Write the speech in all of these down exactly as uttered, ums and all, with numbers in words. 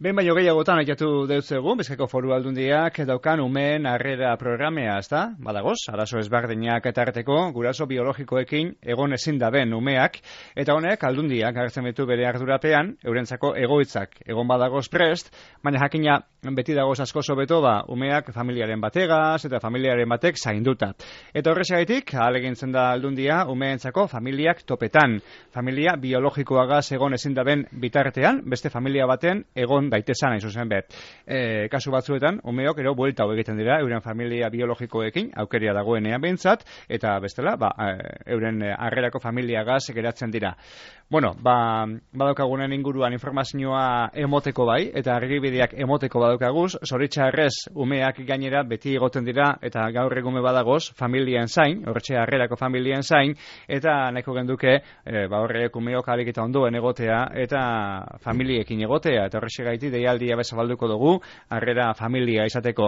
Ben baino gehiagotan aitatu deutzegu, Bizkaiko Foru Aldundiak daukan umeen harrera programea, ezta? Badagoz, arazo ezberdinak eta arteko guraso biologikoekin egon ezin daben umeak, eta honek Aldundiak agertzen ditu bere ardurapean, eurentzako egoitzak egon badagoz prest, baina jakina beti dagoz asko sobeto ba, umeak familiaren bategaz eta familiaren batek zainduta. Eta horrexegatik, ahalegintzen da Aldundia umeentzako familiak topetan, familia biologikoagaz egon ezin daben bitartean, beste familia baten egon daitezan, hain zuzen bet. E, kasu batzuetan, umeok ero buelta hau egiten dira, euren familia biologikoekin, aukeria dagoenean behintzat, eta bestela, ba, euren harrerako familiagaz geratzen dira. Bueno, ba, badaukagunen inguruan informazioa emoteko bai, eta argibideak emoteko badaukaguz, zoritxarrez umeak gainera beti egoten dira, eta gaur egume badagoz, familien zain, horretxe harrerako familien zain, eta nahiko genduke, e, ba horrek umeok alik eta ondoen egotea, eta familiekin egotea, eta horrexegaiti deialdia bezabalduko dugu, harrera familia izateko.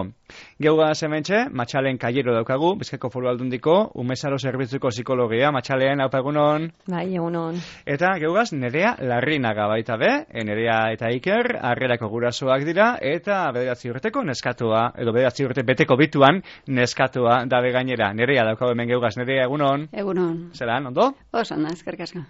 Geugaz hementxe, Matxalen Kaiero daukagu, Bizkaiko Foru Aldundiko, umezaro zerbitzuko psikologia, Matxalen, haupa egunon. Bai, egunon. Eta geugaz, Nerea Larrinaga baita be, Nerea eta Iker, harrerako gurasoak dira, eta bederatzi urteko neskatua, edo bederatzi urte beteko bituan neskatua dabe gainera. Nerea daukagu hemen geugaz, Nerea, egunon. Egunon. Zeran, ondo? Oso, na, eskerrik asko.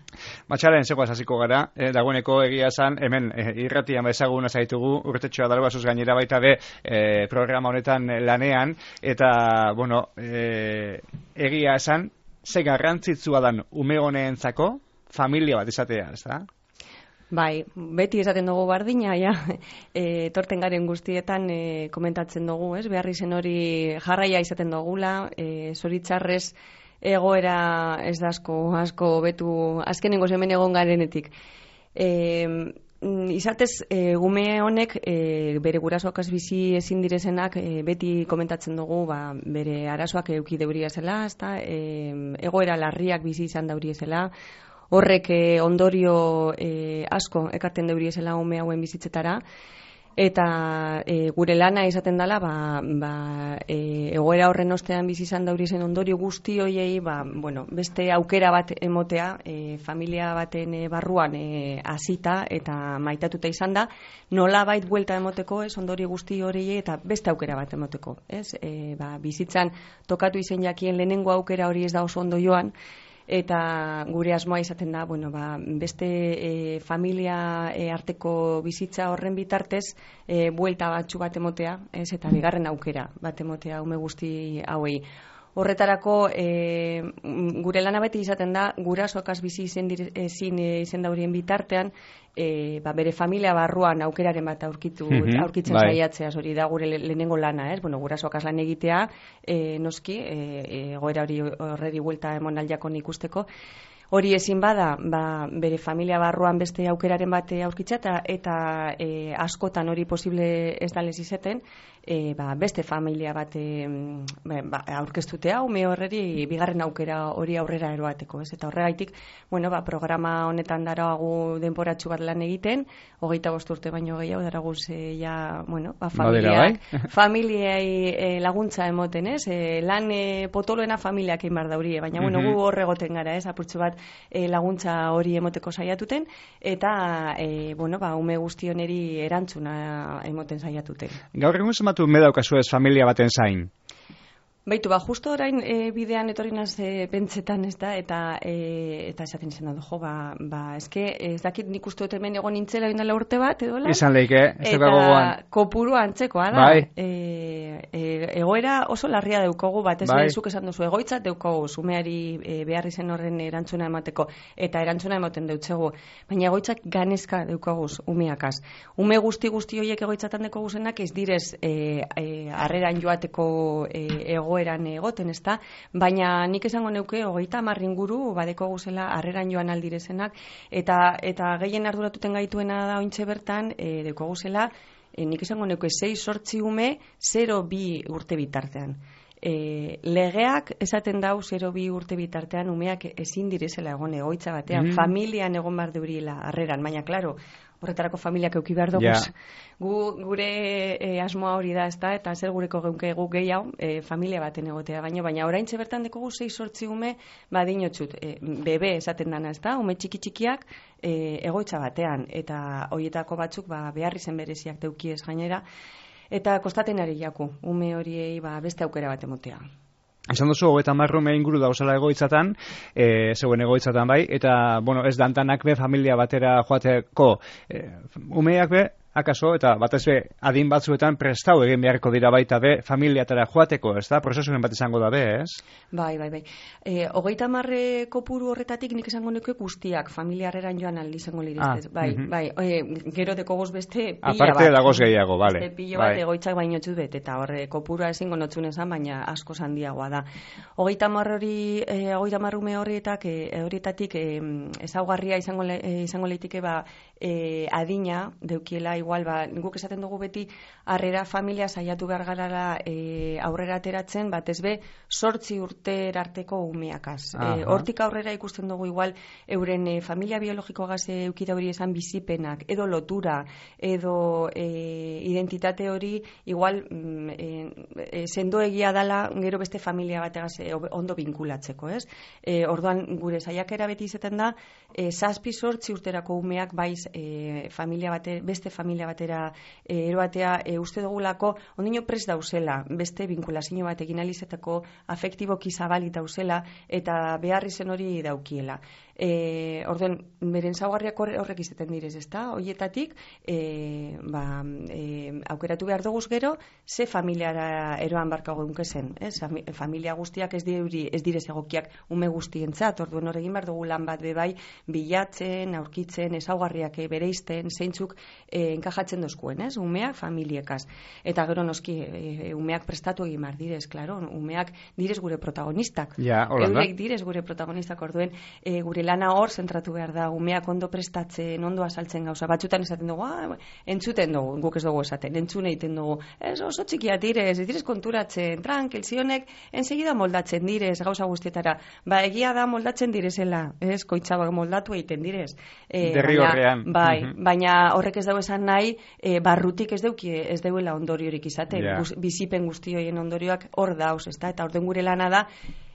Matxalen, zegoaz hasiko gara, eh, dagoeneko egia esan, hemen eh, irratian bezaguna zaitugu, urtetxoa dalbazuz gainera baita be, eh, programa honetan lanean, eta, bueno, eh, egia esan, ze garrantzitsua dan ume honeentzako familia bat izatea, ez da? Bai, beti esaten dugu bardina, ja, e, torten garen guztietan e, komentatzen dugu, ez? Behar izen hori jarraia izaten dugula, e, zoritzarrez egoera ez da asko, asko betu, azkenengo hemen egon garenetik. E, izatez, e, gume honek e, bere gurasoakaz bizi ezin direzenak e, beti komentatzen dugu ba, bere arazoak euki deuria zela, ezta? E, egoera larriak bizi izan daurie zela, horrek eh, ondorio eh, asko ekarten deuriezela ume hauen bizitzetara, eta eh, gure lana izaten dela ba, ba, eh, egoera horren ostean bizi izan dauriezen ondorio guzti hoiei ba, bueno, beste aukera bat emotea, eh, familia baten eh, barruan eh, hasita eta maitatuta izan da, nolabait buelta emoteko, ez, ondorio guzti horiei eta beste aukera bat emoteko, ez, eh, ba, bizitzan tokatu izen jakien lehenengo aukera hori ez da oso ondo joan, eta gure asmoa izaten da, bueno, ba, beste e, familia e, arteko bizitza horren bitartez e, buelta batxu bat emotea, ez, eta bigarren aukera bat emotea ume guzti hauei. Horretarako e, gure lana beti izaten da gurasoakaz bizi izen ezin izen daurien bitartean e, ba, bere familia barruan aukeraren bat aurkitu, mm-hmm, aurkitzen bai. Saiatzea, hori da gure lehenengo lana, ez? Bueno, gurasoakaz lan egitea, e, noski, egoera e, hori horreri buelta emon aldiakon ikusteko. Hori ezin bada, ba, bere familia barruan beste aukeraren bat aurkitza eta, eta e, askotan hori posible ez dalez izeten, e, ba, beste familia bat e, ba, aurkeztutea, ume horreri bigarren aukera hori aurrera eroateko, ez? Eta horregaitik, bueno, ba, programa honetan daragu denporatxu bat lan egiten, hogeita bost urte baino gehiago daraguz e, ja, bueno, ba, familiak, bai? familiai e, laguntza emoten, ez? E, lan e, potoloena familiak egin bar daurie, baina, bueno, mm-hmm. gu horregoten gara, ez? Apurtxu bat E, laguntza hori emoteko saiatuten eta e, bueno, ba, ume guztioneri erantzuna emoten saiatuten. Gaur egun zenbatu ume daukazuez familia baten zain? Baitu, ba, justo orain e, bidean etorrinaz e, pentsetan, ez da, eta e, eta esaten izan da, jo, ba, ba, eske, ez dakit nik uste dut hemen egon nintzela bindala urte bat, edo la? Izan lehike, ez eta gogoan. Kopuru antzekoa da. Bai. E, e, egoera oso larria deukogu, bat ez bai. Zuk esan duzu, egoitza deukogu, zumeari e, behar izen horren erantzuna emateko, eta erantzuna emoten deutzegu, baina egoitzak ganezka deukoguz, umeakaz. Ume guzti guzti horiek egoitzatan deko guzenak ez direz e, e, arreran joateko e, ego egoeran egoten, ezta? Baina nik esango neuke hogeita hamar inguru badeko guzela harreran joan aldirezenak eta eta gehien arduratuten gaituena da ointxe bertan e, deko guzela e, nik esango neuke sei zortzi ume zero bi urte bitartean. E, legeak esaten dau zero bi urte bitartean umeak ezin direzela egon egoitza batean, Mm. familian egon bar deurila harreran, baina klaro, horretarako familiak euki behar dugu. Ja. Gu, gure e, asmoa hori da, ezta, eta zer gureko geunke guk gehiago, e, familia baten egotea baino, baina oraintxe bertan dekogu sei sortzi ume badinotxut, e, bebe esaten dana, ezta, ume txiki txikiak e, egoitza batean, eta horietako batzuk ba, behar izen bereziak deukiez gainera, eta kostaten ari jaku, ume horiei ba, beste aukera bat emotea. Esan duzu, hogeita marrume inguru dauzela egoitzatan, e, zeuen egoitzatan bai, eta, bueno, ez dantanak be familia batera joateko, e, umeak be, akaso, eta batez be, adin batzuetan prestau egin beharko dira baita be, familiatara joateko, ez da? Prozesuren bat izango da be, ez? Bai, bai, bai. E, hogeita marre kopuru horretatik nik esango nuke guztiak, familiarreran joan aldi izango liriztez. Ah, bai, uh-huh. bai, e, gero dekogoz beste pila Aparte bat. dagoz gehiago, bale. Beste pilo bat egoitzak baino txut bet, eta horre kopurua ezingo notzun esan, baina asko handiagoa da. Hogeita marre hori, e, hogeita marrume horietak, e, horietatik e, ezaugarria izango, le, e, izango leitike ba, e, adina deukiela igual, ba, guk esaten dugu beti harrera familia saiatu behar garara e, aurrera ateratzen, batez be sortzi urter arteko umeakaz. E, hortik aurrera ikusten dugu igual euren e, familia biologiko gaze eukida hori esan bizipenak, edo lotura, edo e, identitate hori igual mm, e, e, sendo egia dala gero beste familia bategaz e, ondo binkulatzeko, ez? E, orduan gure saiakera beti izaten da e, zazpi sortzi urterako umeak baiz e, familia bate, beste familia batera e, eroatea e, uste dugulako ondino prest dauzela, beste binkulazio bat egin alizetako afektiboki zabalik dauzela eta behar izen hori daukiela. E, orduen, beren zaugarriak horrek izaten direz, ezta? Hoietatik, e, ba, e, aukeratu behar duguz gero, ze familiara eroan barka geunke zen, ez? Familia guztiak ez diuri, ez direz egokiak ume guztientzat, orduen horregin behar dugu lan bat bebai, bilatzen, aurkitzen, ezaugarriak bereizten, zeintzuk e, enkajatzen dozkuen, ez? Umeak familiekaz. Eta gero noski, e, umeak prestatu egin behar direz, klaro, umeak direz gure protagonistak. Ja, holanda. Eurek direz gure protagonistak, orduen, e, gure lana hor zentratu behar da, umeak ondo prestatzen, ondo azaltzen gauza. Batzutan esaten dugu, ah, entzuten dugu, guk ez dugu esaten, entzun egiten dugu, ez oso txikia direz, ez direz konturatzen, tranquil, zionek, ensegida moldatzen direz, gauza guztietara. Ba, egia da moldatzen direzela, ez, koitzabak moldatu egiten direz. E, Derri baina, horrean. Bai, Uh-huh. baina horrek ez dago esan nahi, e, barrutik ez dauki, ez dauela ondoriorik izaten. Yeah. Guz, bizipen guztioien ondorioak hor dauz, ezta? Eta orden gure lana da,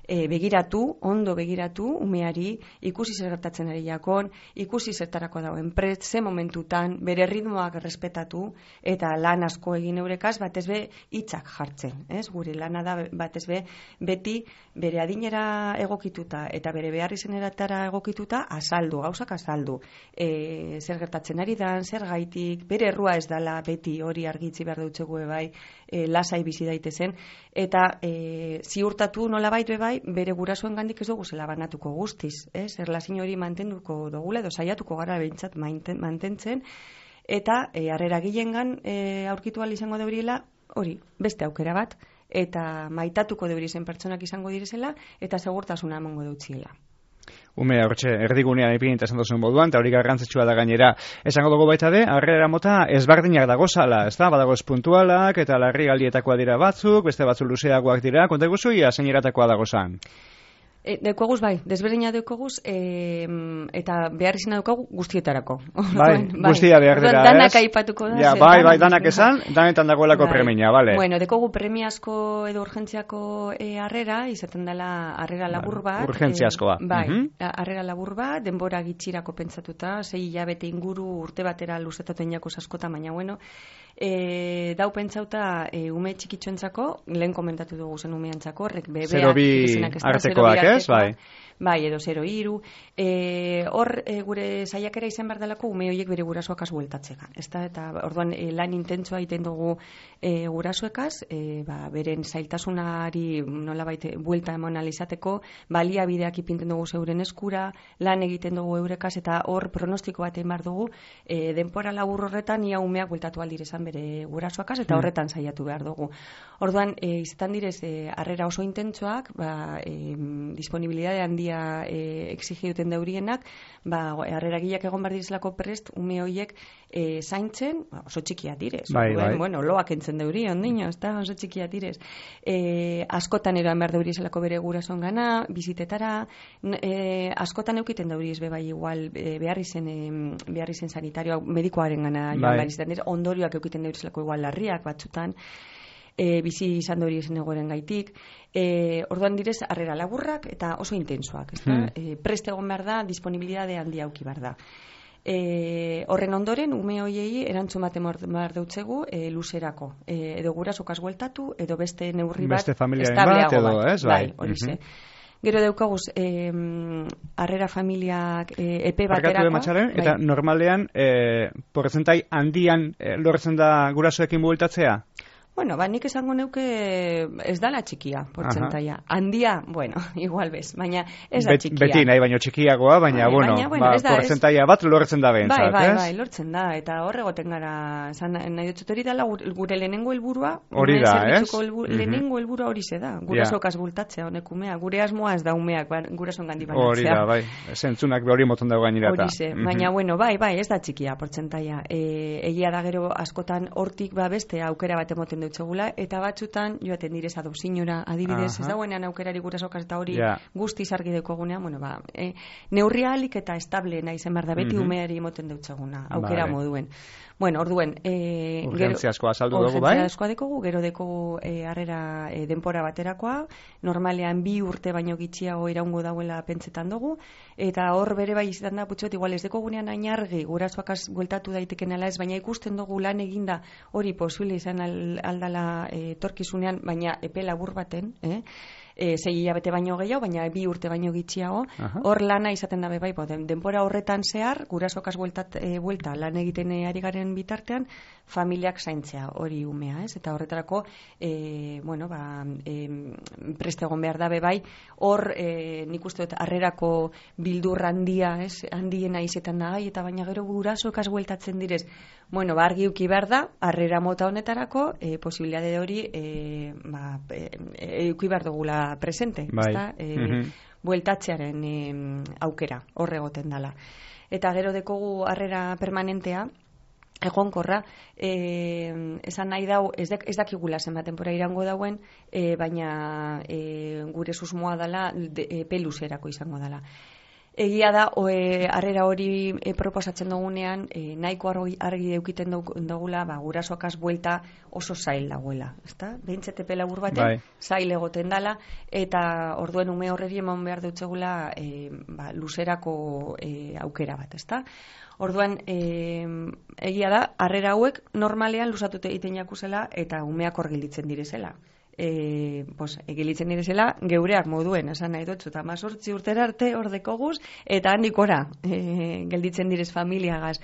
E, begiratu, ondo begiratu, umeari, ikusi zer gertatzen ari jakon, ikusi zertarako dauen prest, ze momentutan, bere ritmoak respetatu, eta lan asko egin eurekaz, batez be, hitzak jartzen, ez? Gure lana da, batez be, beti, bere adinera egokituta, eta bere behar izeneratara egokituta, azaldu, gauzak azaldu. E, zer gertatzen ari dan, zer gaitik, bere errua ez dala, beti hori argitzi behar dutxegu bai, e, lasai bizi daitezen, eta e, ziurtatu nola bait bai, bere gurasoen gandik ez dugu zela banatuko guztiz, ez? Erlazio hori mantenduko dugula, edo saiatuko gara behintzat mantentzen, eta e, harrera gilengan e, aurkitu ahal izango deuriela, hori, beste aukera bat, eta maitatuko deurizen pertsonak izango direzela, eta segurtasuna emango deutziela. Ume, hortxe, erdigunean ipinita esan duzun moduan, eta hori garrantzitsua da gainera. Esango dugu baita de, harrera mota ezberdinak dagozala, ez da? Badagoz puntualak, eta larri galdietakoa dira batzuk, beste batzu luzeagoak dira, konta guzu, ia zeiniratakoa dagozan. E, deukoguz bai, desberdina deukoguz, e, eta behar izena deukogu guztietarako. Bai, guztia behar dira, ez? Danak aipatuko da. Ja, bai, bai, danak esan, danetan dagoelako bai. premia, bale. Bueno, dekogu premiazko edo urgentziako e, harrera, izaten dela harrera labur bat. Urgentziazkoa. E, bai, uh-huh. harrera labur bat, denbora gitxirako pentsatuta, sei hilabete inguru urte batera luzetaten jako askota, baina bueno, e, dau pentsauta e, ume txikitxoentzako, lehen komentatu dugu zen umeantzako, horrek bebeak, zero bi artekoak, ez? Bai. Bai, edo zero iru. E, hor, e, gure saiakera izan behar delako ume horiek bere gurasoakaz bueltatzeka. Ezta? Eta orduan e, lan intentsoa egiten dugu e, gurasoekaz, e, ba, beren zailtasunari nolabait buelta eman alizateko, baliabideak ipinten dugu zeuren eskura, lan egiten dugu eurekaz, eta hor pronostiko bat egin behar dugu, e, denpora labur horretan ia umeak bueltatu aldirezan bere gurasoakaz, eta horretan saiatu behar dugu. Orduan, e, izaten direz, harrera e, oso intentsoak, ba, e, disponibilidade handia handia e, exigi duten deurienak, ba, harreragileak egon behar direzlako prest, ume horiek e, zaintzen, oso txikia direz. Bai, Orduen, bai. Bueno, loak entzen deuri, ondino, ez da, oso txikia direz. E, askotan eroan behar deuri eselako bere gurasoen gana, bizitetara, e, askotan eukiten deuri ez bebai igual, e, behar izen, e, behar izen sanitarioa, medikoaren gana, joan Bai. behar izen, ondorioak eukiten deuri eselako igual larriak batzutan, e, bizi izan dori ezen egoeren gaitik. E, orduan direz, harrera laburrak eta oso intensoak, ez da? Hmm. E, prest egon behar da, disponibilidade handia auki behar da. E, horren ondoren, ume hoiei erantzun bat behar deutzegu e, luzerako. E, edo gurasokaz bueltatu, edo beste neurri bat Beste familiaren estableago bat, edo, ez? Bai, Bai. horixe. Mhm. Gero daukaguz, eh, harrera familiak eh, epe Barkatu baterako. ematxaren, eta bai. normalean, eh, porzentai handian eh, lortzen da gurasoekin bueltatzea? Bueno, ba, nik esango neuke ez dala txikia, portzentaia. Handia, bueno, igual bez, baina ez da Bet- txikia. Beti nahi baino txikiagoa, baina, Bai, bueno, baina, bueno, ba, ez da, ez- portzentaia bat lortzen da behintzat, Bai, bai, ez? bai, lortzen da, eta hor egoten gara, zan, nahi dut hori dela gure, gure lehenengo helburua, Hori ume da, zerbitzuko ez? helbu- Mhm. lehenengo helburua hori ze da, gurasokaz bultatzea honek umea, gure asmoa ez da umeak, ba, gurason gandi Hori banatzea. da, bai, zentzunak hori moton dago gainerata. Horixe, baina, bueno, bai, bai, ez da txikia portzentaia. E, egia da gero askotan hortik ba beste aukera bat emoten dutzegula, eta batzutan joaten direz adopzinora, adibidez, Aha. ez dagoenean aukerari gurasokaz eta hori Ja. guztiz argi daukagunean, bueno, ba, e, neurria alik eta estable nahi zen behar da, beti Mhm. umeari emoten dutzeguna, aukera Vale. moduen. Bueno, orduen, e, Urgentzia asko azaldu dugu, bai? urgentzia askoa dekogu, gero dekogu e, harrera e, denpora baterakoa, normalean bi urte baino gitxiago iraungo dauela pentsetan dugu, eta hor bere bai izan da, putxuet, igual ez dekogunean hain argi, gurasoakaz bueltatu daiteken ala ez, baina ikusten dugu lan eginda hori posible izan al, aldala e, torkizunean, baina epe labur baten, eh? E, sei hilabete baino gehiago, baina bi urte baino gitxiago, Aha. hor lana izaten da bai, den, denpora horretan zehar, gurasokaz bueltat, e, buelta lan egiten e, ari garen bitartean, familiak zaintzea hori umea, ez? Eta horretarako, e, bueno, ba, e, preste egon behar da bai, hor e, nik uste dut harrerako bildur handia, ez? Handiena izetan da gai, eta baina gero gurasokaz bueltatzen direz, bueno, ba, argi uki behar da, harrera mota honetarako, e, posibilitate hori, e, ba, e, e, uki behar dugula presente, Bai. ezta? E, Mhm. bueltatzearen e, aukera, hor egoten dala. Eta gero dekogu harrera permanentea, egonkorra, e, esan nahi dau, ez, dek, ez dakigula zenbat denbora irango dauen, e, baina e, gure susmoa dala, de, e, peluzerako izango dala. Egia da, oe, harrera hori e, proposatzen dugunean, e, nahiko argi, argi eukiten dugula, ba, gurasoakaz buelta oso zail dagoela, ezta? Behintzete pelabur baten, Bai. zail egoten dala, eta orduen ume horreri eman behar dutzegula e, ba, luzerako e, aukera bat, ezta? Orduan, e, egia da, harrera hauek normalean luzatute egiten jakuzela eta umeak hor gelditzen direzela. E, pues, egilitzen direzela geureak moduen, esan nahi dut, eta mazortzi urtera arte hor dekoguz, eta handikora e, gelditzen direz familiagaz.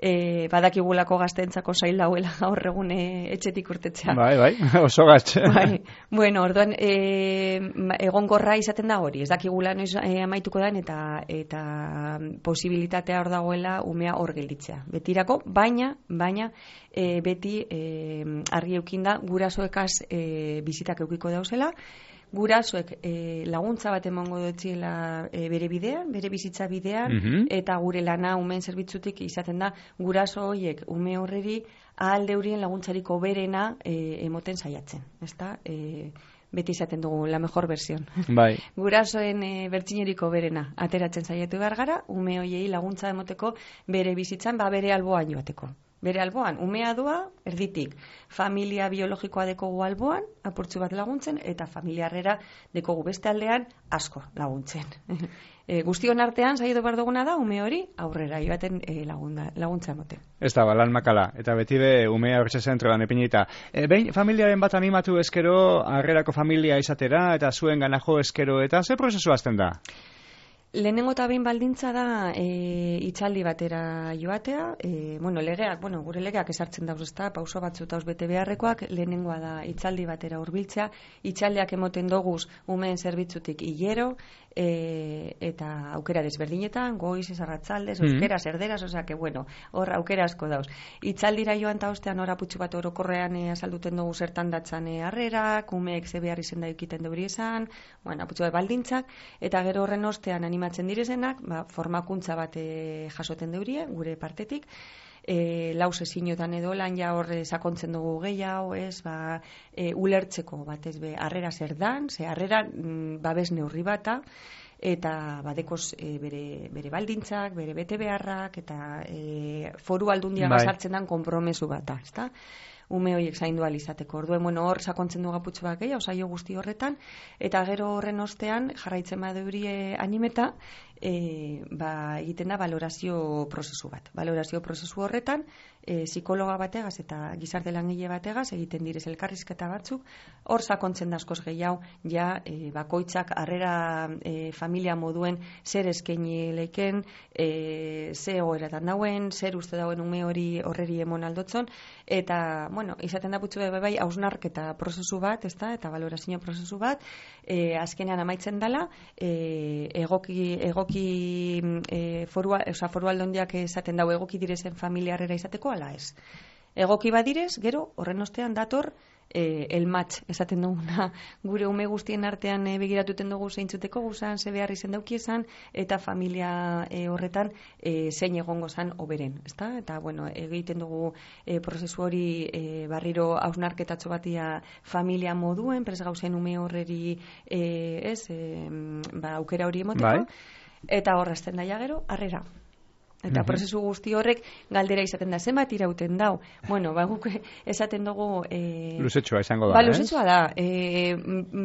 E, badakigulako gaztentzako zail dauela gaur egun e, etxetik urtetzea. Bai, bai, oso gatxe. Bai. Bueno, orduan e, egonkorra izaten da hori, ez dakigula noiz e, amaituko den eta eta posibilitatea hor dagoela umea hor gelditzea. Betirako, baina, baina e, beti e, argi eukinda gurasoekaz e, bizitak eukiko dauzela, gurasoek e, laguntza bat emango dutziela e, bere bidean, bere bizitza bidean, Mhm. eta gure lana umeen zerbitzutik izaten da guraso horiek ume horreri ahal deurien laguntzariko berena e, emoten saiatzen, ezta? E, beti izaten dugu la mejor versión. Bai. Gurasoen e, bertxineriko berena ateratzen saiatu behar gara, ume horiei laguntza emoteko bere bizitzan, ba bere alboan joateko. Bere alboan, umea doa, erditik, familia biologikoa dekogu alboan, apurtzu bat laguntzen, eta familiarrera dekogu beste aldean asko laguntzen. E, guztion artean, saiatu behar duguna da, ume hori aurrera joaten e, lagunda, laguntza emoten. Ez da, balan makala, eta beti be umea horretxe zentroan epinita. E, behin, familiaren bat animatu eskero, harrerako familia izatera, eta zuen ganajo eskero, eta ze prozesu azten da? Lehenengo eta behin baldintza da e, itzaldi batera joatea, e, bueno, legeak, bueno, gure legeak esartzen dauz, ezta, pauso batzu tauz bete beharrekoak, lehenengoa da itzaldi batera hurbiltzea, itzaldiak emoten doguz umeen zerbitzutik hilero, e, eta aukera desberdinetan, goiz, arratsaldez, euskeraz, erderaz, osea, que bueno, hor aukera asko dauz. Itzaldira joan ta ostean hor aputxu bat orokorrean e, azalduten dugu zertan datzan e, harrerak, umeek ze behar izen da ikiten deuri esan, bueno, aputxu bat baldintzak, eta gero horren ostean animatzen direzenak, ba, formakuntza bat e, jasoten deurie, gure partetik, E, lau sezinotan edo lan ja horre sakontzen dugu gehiago, ez, ba, e, ulertzeko bat ez be, harrera zer dan, ze harrera mm, babes neurri bata, eta badekoz e, bere, bere baldintzak, bere bete beharrak, eta e, foru aldundia bai. Gazartzen dan konpromesu bata, ezta? Ume horiek zaindu alizateko. Orduen, bueno, hor sakontzen du gaputxo bat gehiago, saio guzti horretan, eta gero horren ostean, jarraitzen badeurie animeta, e, ba, egiten da valorazio prozesu bat. Valorazio prozesu horretan, e, psikologa bategaz eta gizarte langile bategaz egiten direz elkarrizketa batzuk, hor sakontzen da askoz gehiago, ja, e, bakoitzak harrera e, familia moduen zer eskaini leiken, e, ze egoeratan dauen, zer uste dauen ume hori horreri emon aldotzon, eta, bueno, izaten da putzu bai, bai, hausnarketa prozesu bat, ezta, eta valorazio prozesu bat, e, azkenean amaitzen dela, e, egoki, egoki e, foru, oza, foru aldondiak esaten dau egoki direzen familiarrera izateko, ala ez. Egoki badirez, gero, horren ostean dator, e, el match, esaten duguna, gure ume guztien artean e, begiratuten dugu zeintzuteko guzan, ze behar izen daukiesan, eta familia e, horretan e, zein egongo zan oberen, ezta? Eta, bueno, egiten dugu e, prozesu hori e, barriro hausnarketatxo batia familia moduen, pres gauzen ume horreri e, ez, e, ba, aukera hori emoteko, bai. Eta horrezten daia gero, harrera. Eta uh-huh. prozesu guzti horrek galdera izaten da, zenbat irauten dau. Bueno, ba, guk esaten dugu... E, luzetxoa izango da, ba, luzetxoa da. E,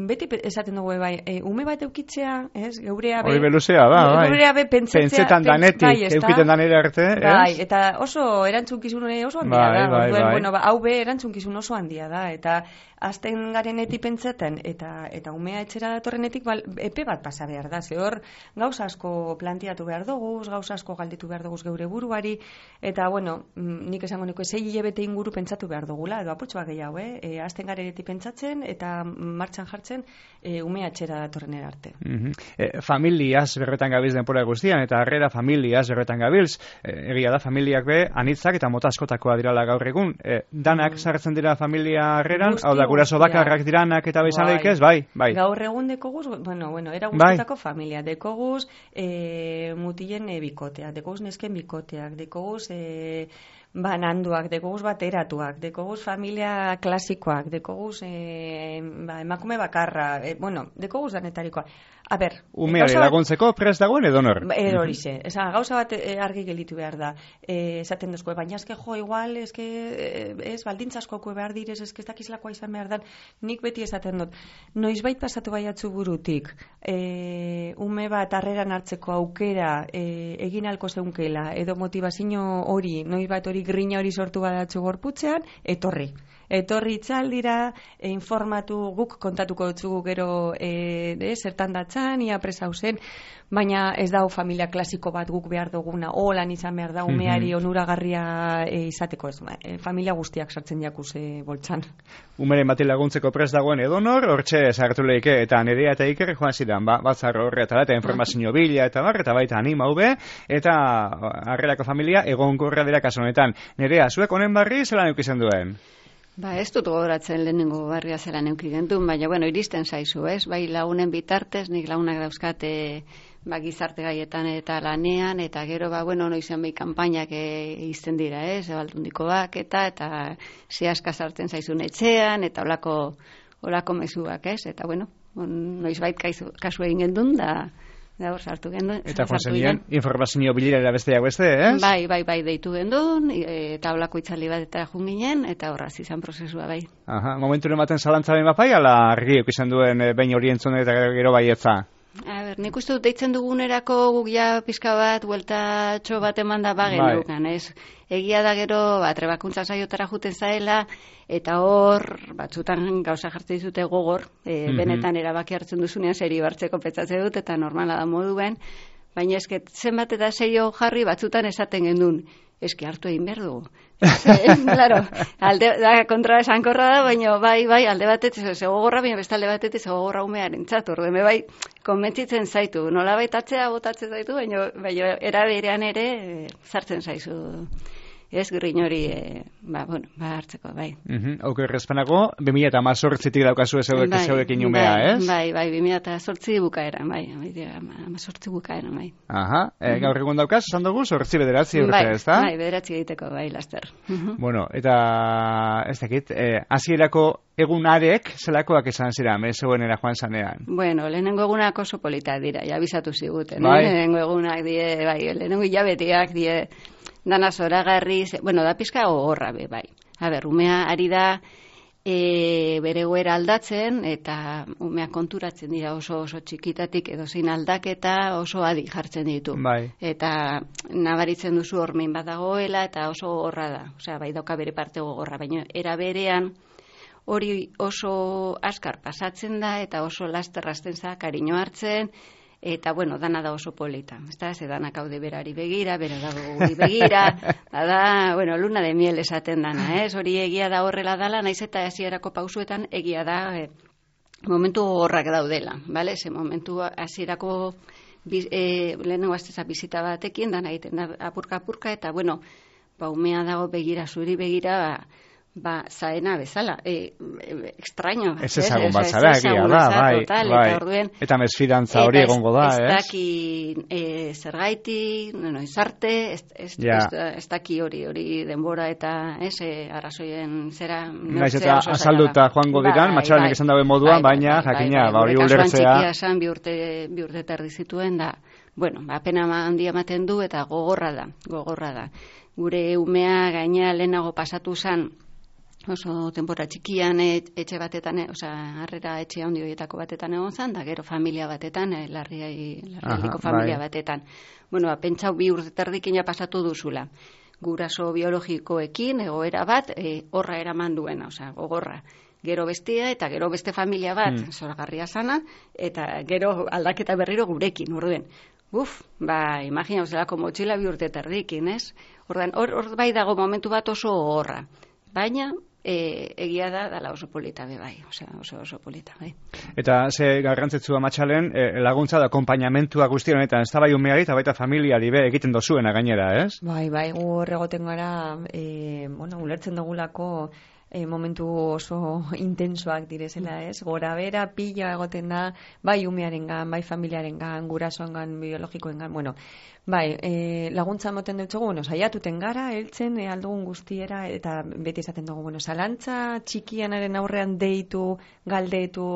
beti esaten dugu, bai, e, ume bat eukitzea, ez, geurea be... Hori beluzea, ba, bai. Geurea be pentsatzea... Pentsetan danetik, bai, eukiten danera arte, ez? Bai, eta oso erantzunkizun oso handia bai, da. Bai, Duen, bai. Bueno, ba, hau be erantzunkizun oso handia da, eta... Azten garenetik pentsaten, eta eta umea etxera datorrenetik bal, epe bat pasa behar da. Ze hor, gauza asko planteatu behar dugu, gauza asko galdetu behar dugu geure buruari, eta, bueno, nik esango niko, zei hilabete inguru pentsatu behar dugula, edo apurtxoa gehiago, eh? E, azten garenetik pentsatzen, eta martxan jartzen, e, umea etxera datorrenera arte. Mm-hmm. E, familiaz berretan gabiltz denpora guztian, eta harrera familiaz berretan gabiltz, e, egia da, familiak be, anitzak eta mota askotakoa dirala gaur egun. E, danak mm. sartzen dira familia harreran, hau da, guraso bakarrak diranak eta bezan bai. Leikez, bai, bai. Gaur egun dekoguz, bueno, bueno, era guztietako bai. Familia, dekoguz e, mutilen e, bikoteak, dekoguz nesken bikoteak, dekoguz e, bananduak, dekoguz bateratuak, dekoguz familia klasikoak, dekoguz e, ba, emakume bakarra, e, bueno, dekoguz danetarikoa. A ber, umeari laguntzeko prest dagoen edo nor? Edo hori ze. Esa, gauza bat e, argi gelitu behar da. E, esaten duzko, baina eske jo, igual, eske, ez, baldintzasko behar direz, eske ez dakizlakoa izan behar da. Nik beti esaten dut, noizbait pasatu baiatzu burutik, e, ume bat harreran hartzeko aukera e, egin alko zeunkela, edo motivazio hori, noizbait hori grina hori sortu badatzu gorputzean, etorri. Etorri itzaldira, e, informatu, guk kontatuko dutzugu gero e, de, zertan datzan, ia presau zen, baina ez dau familia klasiko bat guk behar duguna, holan izan behar da, umeari onuragarria e, izateko ez, e, familia guztiak sartzen jakuz e, boltzan. Umeren bati laguntzeko prest dagoen edonor, hortxe sartu leike, eta Nerea eta Iker joan zidan, ba, batzar horretara, eta informazio bila, eta bar, eta baita anima ube, eta harrerako familia egonkorra dira kaso honetan. Nerea, zuek honen barri zelan eukizan duen? Ba, ez dut gogoratzen lehenengo barria zelan euki gentun, baina, bueno, iristen zaizu, ez? Bai, lagunen bitartez, nik lagunak dauzkate ba, gizarte gaietan eta lanean, eta gero, ba, bueno, noizen behi kanpainak izten dira, ez? Ebaldundiko bak, eta, eta zehaska sartzen zaizun etxean, eta olako, olako mezuak, ez? Eta, bueno, noiz bait kasu egin gendun, da... Da hor sartu gendun. Eta joan zenien, informazio bilera besteak beste, ez? Bai, bai, bai, deitu gendun, eta holako itzali bat eta jun ginen, eta horraz izan prozesua, bai. Aha, momentu ematen zalantzaren bapai, ala argi izan duen behin hori entzun eta gero baietza? A ber, nik uste dut deitzen dugunerako guk ja pizka bat, bueltatxo bat eman da bagen bai. Dugan, ez? Egia da gero, ba, trebakuntza saiotara juten zaela, eta hor, batzutan gauza jartzen dizute gogor, e, mm-hmm. benetan erabaki hartzen duzunean seri bartzeko petzatzen dut, eta normala da moduen, baina esket zenbat eta seio jarri batzutan esaten gendun. eski hartu egin behar dugu. Claro, alde, da, kontra esankorra da, baina bai, bai, alde batetik, ze gogorra, baina beste alde batetik, ze gogorra umearen txatu, ordeme bai, konbentzitzen zaitu, nola baitatzea botatzen zaitu, baina, baina eraberean ere, e, zartzen zaizu. Ez grin hori, e, ba, bueno, ba, hartzeko, bai. Uh-huh. Auke errezpanago, bi mila eta mazortzitik daukazu ezeuek bai, ezeuekin umea, bai, ez? Bai, bai, bi mila eta zortzi bukaera, bai, amazortzi bukaera, bai. Aha, e, uh-huh. Gaur egun daukaz, esan dugu, zortzi bederatzi urte, bai, ez da? Bai, bederatzi egiteko, bai, laster. Uh-huh. Bueno, eta, ez dakit, eh, hasierako egunarek zelakoak esan zira, mezeuen era joan zanean? Bueno, lehenengo egunak oso politak dira, ja bizatu ziguten, bai. eh? Lehenengo egunak die, bai, lehenengo hilabetiak die, dana zoragarri, bueno, da pizka gogorra be, bai. A ber, umea ari da e, bere goera aldatzen, eta umea konturatzen dira oso oso txikitatik edo zein aldaketa oso adi jartzen ditu. Bai. Eta nabaritzen duzu hormein bat dagoela, eta oso gogorra da. Osea, bai dauka bere parte gogorra, baina era berean hori oso askar pasatzen da, eta oso lasterrazten za, kariño hartzen, eta, bueno, dana da oso polita. Ezta, ze danak haude berari begira, bera dago guri begira, da, da, bueno, luna de miel esaten dana, ez? Hori egia da horrela dala, naiz eta hasierako pausuetan egia da e, momentu horrak daudela, bale? Ze momentu hasierako e, lehenengo asteza bizita batekin, dana egiten da apurka-apurka, eta, bueno, ba, umea dago begira, zuri begira, ba, ba, zaena bezala, e, e, extraño. Ez ezagun bat zara, egia da, bai, total, bai. Eta, orduen, eta mesfidantza hori egongo da, ez? Ez daki e, zergaiti, no, izarte, ez, ez, ja. ez, ez daki hori, hori denbora eta ez, e, arrazoien zera, naiz eta azalduta joango diran, bai, matxalanek bai, esan dabe moduan, bai, baina, bai, jakina, bai, bai, hori ulertzea. Txikia esan, bi urte, bi urte terdi zituen, da, bueno, ba, pena handia ematen du, eta gogorra da, gogorra da. Gure umea gaina lehenago pasatu zan, oso denbora txikian etxe batetan, osea, harrera etxe handi horietako batetan egon zan, da gero familia batetan, eh, larriai, larrialdiko familia bai. batetan. Bueno, pentsau bi urte terdikin ja pasatu duzula. Guraso biologikoekin, egoera bat, e, horra eraman duena, osea, gogorra. Gero bestia eta gero beste familia bat, hmm. zoragarria sana, eta gero aldaketa berriro gurekin, orduen. Uf, ba, imagina, zelako motxila bi urte terdikin, ez? Ordan, hor, hor bai dago momentu bat oso gogorra. Baina, E, egia da, dala oso polita be bai, osea, oso oso polita, bai. Eta ze garrantzitsua matxalen, e, laguntza da akonpainamentua guzti honetan, ez da bai umeari eta baita familiari be egiten dozuena gainera, ez? Bai, bai, gu horregoten gara, e, bueno, ulertzen dugulako e, momentu oso intensoak direzela, ez? Gora bera, pila egoten da, bai umearengan, bai familiarengan, gurasoengan, biologikoengan, bueno, bai, e, laguntza moten dutxogu, bueno, saiatuten gara, heltzen, e, aldugun guztiera, eta beti esaten dugu, bueno, zalantza txikianaren aurrean deitu, galdetu,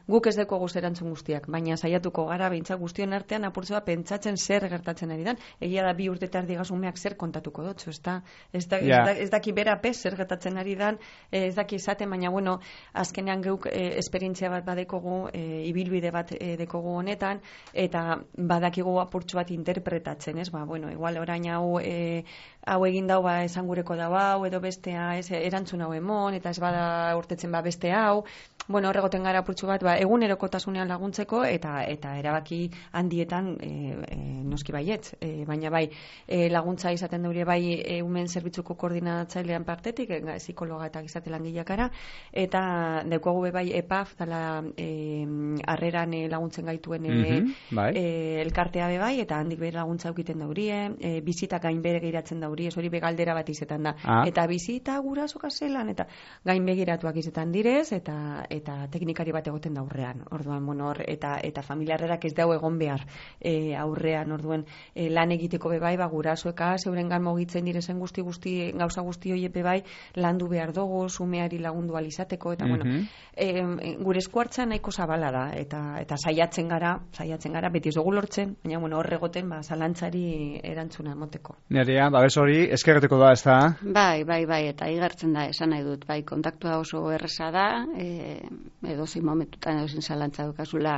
guk ez deko guz erantzun guztiak, baina saiatuko gara, behintzak guztion artean apurtzua pentsatzen zer gertatzen ari dan, egia da bi urte tardigaz umeak zer kontatuko dutxo, ez da, ez, da, yeah. ez, da, ez daki bera pez zer gertatzen ari dan, ez daki esaten, baina, bueno, azkenean geuk e, esperientzia bat badekogu, e, ibilbide bat e, dekogu honetan, eta badakigu apurtzu bat interpretatzen, ez, ba, bueno, igual orain hau e, hau egin dau, ba, esan gureko dau hau, edo bestea, ez, erantzun hau emon, eta ez bada urtetzen ba beste hau, bueno, horregoten gara purtsu bat, ba, egunerokotasunean laguntzeko, eta eta erabaki handietan e, e, noski baietz, e, baina bai, e, laguntza izaten daure bai e, umen zerbitzuko koordinatzailean partetik, e, psikologa eta gizate langileakara, eta daukagu be bai E P A F, dala e, harreran e, laguntzen gaituen e, mm-hmm, bai. e, elkartea be bai, eta handik bere laguntza ukiten daurie, e, bizita gainbere giratzen daurie, hori begaldera bat izetan da. Ah. Eta bizita guraso kaselan, eta gain begiratuak izetan direz, eta eta teknikari bat egoten da aurrean. Orduan, bueno, hor, eta eta familiarrerak ez dau egon behar e, aurrean, orduan, e, lan egiteko be bai, ba, gurasoeka, zeurengan mogitzen direzen guzti guzti, gauza guzti hoiek be bai, landu behar dugu, sumeari lagundu alizateko, eta, mm-hmm. bueno, e, gure eskuartza nahiko zabala da, eta eta saiatzen gara, saiatzen gara, beti ez dugu lortzen, baina, bueno, hor egoten, ba, zalantzari erantzuna emoteko. Nerea, babes hori, eskerreteko da, ez da? Bai, bai, bai, eta igartzen da, esan nahi dut, bai, kontaktua oso erresa da, e, edozein momentutan edozein zalantza dukazula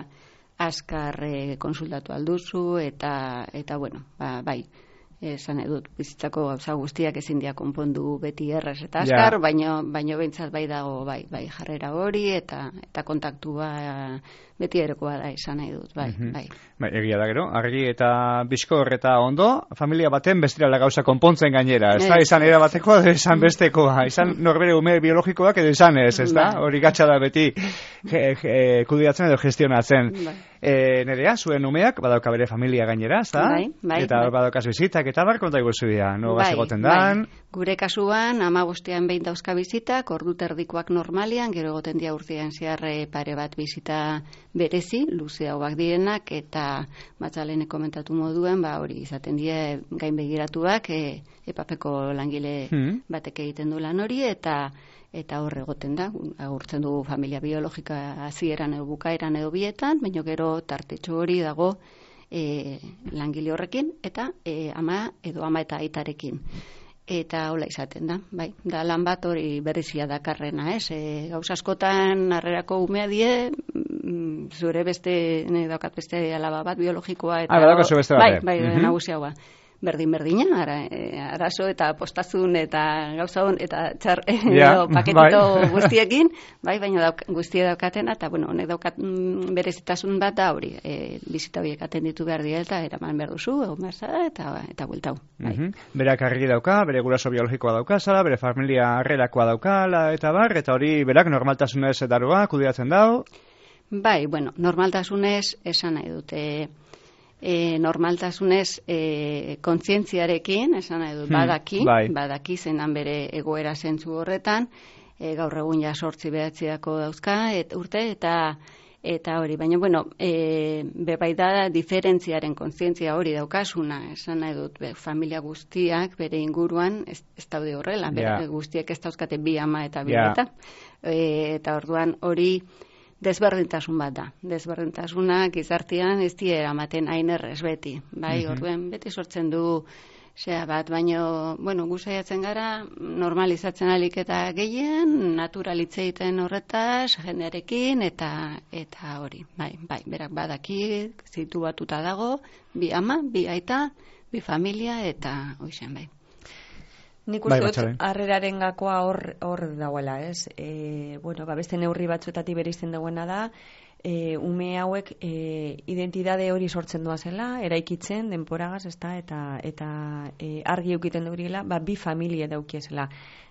azkar e, konsultatu alduzu, eta, eta bueno, ba, bai, esan edut, bizitzako gauza guztiak ezin dira konpondu beti erraz eta azkar, yeah. baino, baino behintzat bai dago, bai, bai jarrera hori, eta eta kontaktua beti erekoa da izan nahi dut, bai, mm-hmm. bai. Bai, egia da gero, argi eta bizkor eta ondo, familia baten bestirala gauza konpontzen gainera, ez da, izan era batekoa, izan bestekoa, izan norbere ume biologikoak edo izan ez, ez da, hori gatsa da beti kudiatzen edo gestionatzen. Bai. E, nerea, zuen umeak, badauka bere familia gainera, ez da? Bai, bai. Eta bai. Badaukaz bizitak, eta bar, konta iguzu dira, no bai, egoten dan? Bai. Gure kasuan, ama bostean behin dauzka bizitak, ordu terdikoak normalian, gero egoten dia urtean ziarre pare bat bizita berezi, luze hauak direnak, eta batzalene komentatu moduen, ba hori izaten die gain begiratuak, e, epapeko langile hmm. batek egiten du lan hori, eta eta hor egoten da, agurtzen dugu familia biologika hasieran edo bukaeran edo bietan, baina gero tartetxo hori dago e, langile horrekin, eta e, ama edo ama eta aitarekin. Eta hola izaten da, bai, da lan bat hori berezia dakarrena, ez? E, gauz askotan harrerako umea die, zure beste, ne daukat beste alaba bat biologikoa, eta ah, beste bai, bai, mm-hmm. nagusiagoa. Berdin-berdina, ara, e, arazo eta postazun eta gauza hon eta txar, yeah, paketito bai. Guztiekin, bai, baina dauk, guztie daukatena, eta bueno, honek daukat mm, berezitasun bat da hori, e, bizita horiek atenditu behar dira, eta eraman behar duzu, egon behar zara, eta, eta bueltau. Bai. Mm-hmm. Berak argi dauka, bere guraso biologikoa dauka, zara, bere familia harrerakoa daukala, eta bar, eta hori berak normaltasunez edarua, kudiatzen dau? Bai, bueno, normaltasunez esan nahi dute, E, normaltasunez e, kontzientziarekin, esan nahi dut, badaki, hmm, bai. badaki zenan bere egoera zentzu horretan, e, gaur egun ja sortzi behatziako dauzka, et, urte, eta eta hori, baina, bueno, e, bebai da diferentziaren kontzientzia hori daukasuna, esan nahi dut, be, familia guztiak bere inguruan ez, ez daude horrela, yeah. bere guztiak ez dauzkate bi ama eta bi yeah. eta, e, eta orduan hori, desberdintasun bat da. Desberdintasunak gizartean ez die eramaten hain errez beti. Bai, mm-hmm. orduen beti sortzen du zea bat, baino, bueno, gu saiatzen gara normalizatzen alik eta gehien, naturalitzeiten horretaz, jendearekin, eta eta hori. Bai, bai, berak badaki, situatuta dago, bi ama, bi aita, bi familia, eta hoixen bai. Nik uste dut, harreraren gakoa hor, hor dagoela, ez? E, bueno, ba, beste neurri batzuetatik berizten dagoena da, e, ume hauek e, identidade hori sortzen doazela, eraikitzen, denporagaz, ez da, eta, eta e, argi eukiten dugula, ba, bi familie daukiezela.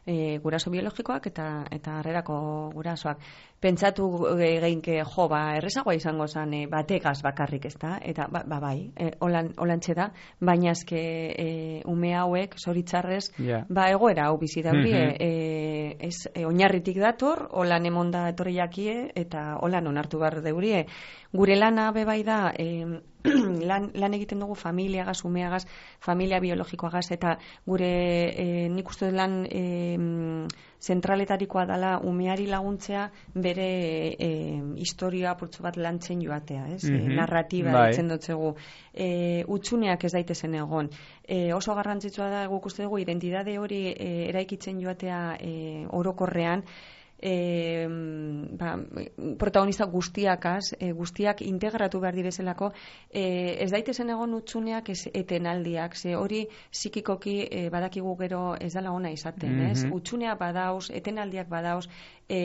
E, guraso biologikoak eta eta harrerako gurasoak. Pentsatu e, geinke, jo, ba, errezagoa izango zen e, bategaz bakarrik, ez da? Eta, ba, ba bai, e, holan, holantxe da, baina eske e, ume hauek, zoritzarrez, yeah. ba, egoera hau bizi dauri, mm-hmm. e, ez, e, oinarritik dator, holan emonda etorri jakie, eta holan onartu behar deurie. Gure lana bebai da, e, lan, lan egiten dugu familiagaz, umeagaz, familia biologikoagaz, eta gure e, nik uste lan e, zentraletarikoa dela umeari laguntzea bere e, historia apurtzu bat lantzen joatea, ez? Mm-hmm. E, narratiba bai. Ditzen dutzegu. E, utsuneak ez daitezen egon. E, oso garrantzitsua da guk uste dugu identidade hori e, eraikitzen joatea e, orokorrean, E, ba, protagonista guztiakaz, e, guztiak integratu behar direzelako, e, ez daitezen egon utzuneak ez etenaldiak, ze hori psikikoki e, badakigu gero ez dela ona izaten, mm-hmm. ez? Utsunea badauz, etenaldiak badauz, e,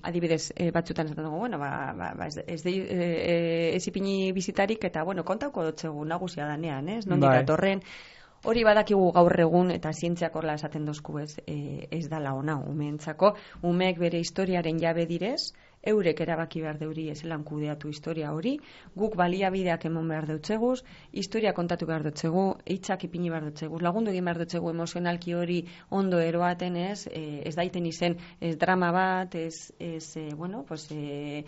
adibidez, e, batzutan esaten dugu, bueno, ba, ba, ba, ez, ez, de, e, ez ipini bizitarik, eta, bueno, kontauko dotzegu nagusia danean, ez? Nondik datorren, hori badakigu gaur egun, eta zientziak horla esaten dozku ez, e, ez dala ona umeentzako, umeek bere historiaren jabe direz, eurek erabaki behar deuri ezelan kudeatu historia hori, guk baliabideak emon behar deutzeguz, historia kontatu behar deutzegu, hitzak ipini behar deutzeguz, lagundu egin behar deutzegu emozionalki hori ondo eroaten ez, e, ez daiten izen, ez drama bat, ez, ez e, bueno, pues, e,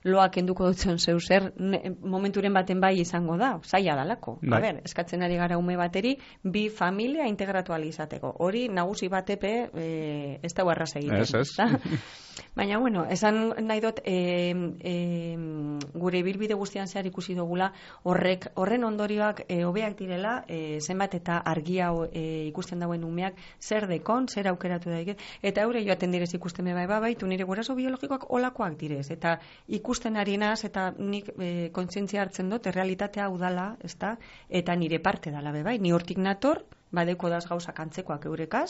loak enduko dutzen zeu zer, ne, momenturen baten bai izango da, zaila dalako. Bai. A ber, eskatzen ari gara ume bateri, bi familia integratu alizateko. Hori nagusi batepe e, ez da erraz egiten. Ez, ez. Baina, bueno, esan nahi dut, e, e, gure ibilbide guztian zehar ikusi dugula, horrek, horren ondorioak e, hobeak direla, e, zenbat eta argia e, ikusten dauen umeak, zer dekon, zer aukeratu daik, eta eure joaten direz ikusten bai, bai, baitu nire guraso biologikoak olakoak direz, eta ikusten ari naz, eta nik e, kontzientzia hartzen dut, errealitatea hau dala, ezta, eta nire parte dala, bai, ni hortik nator, badeko daz gauzak antzekoak eurekaz,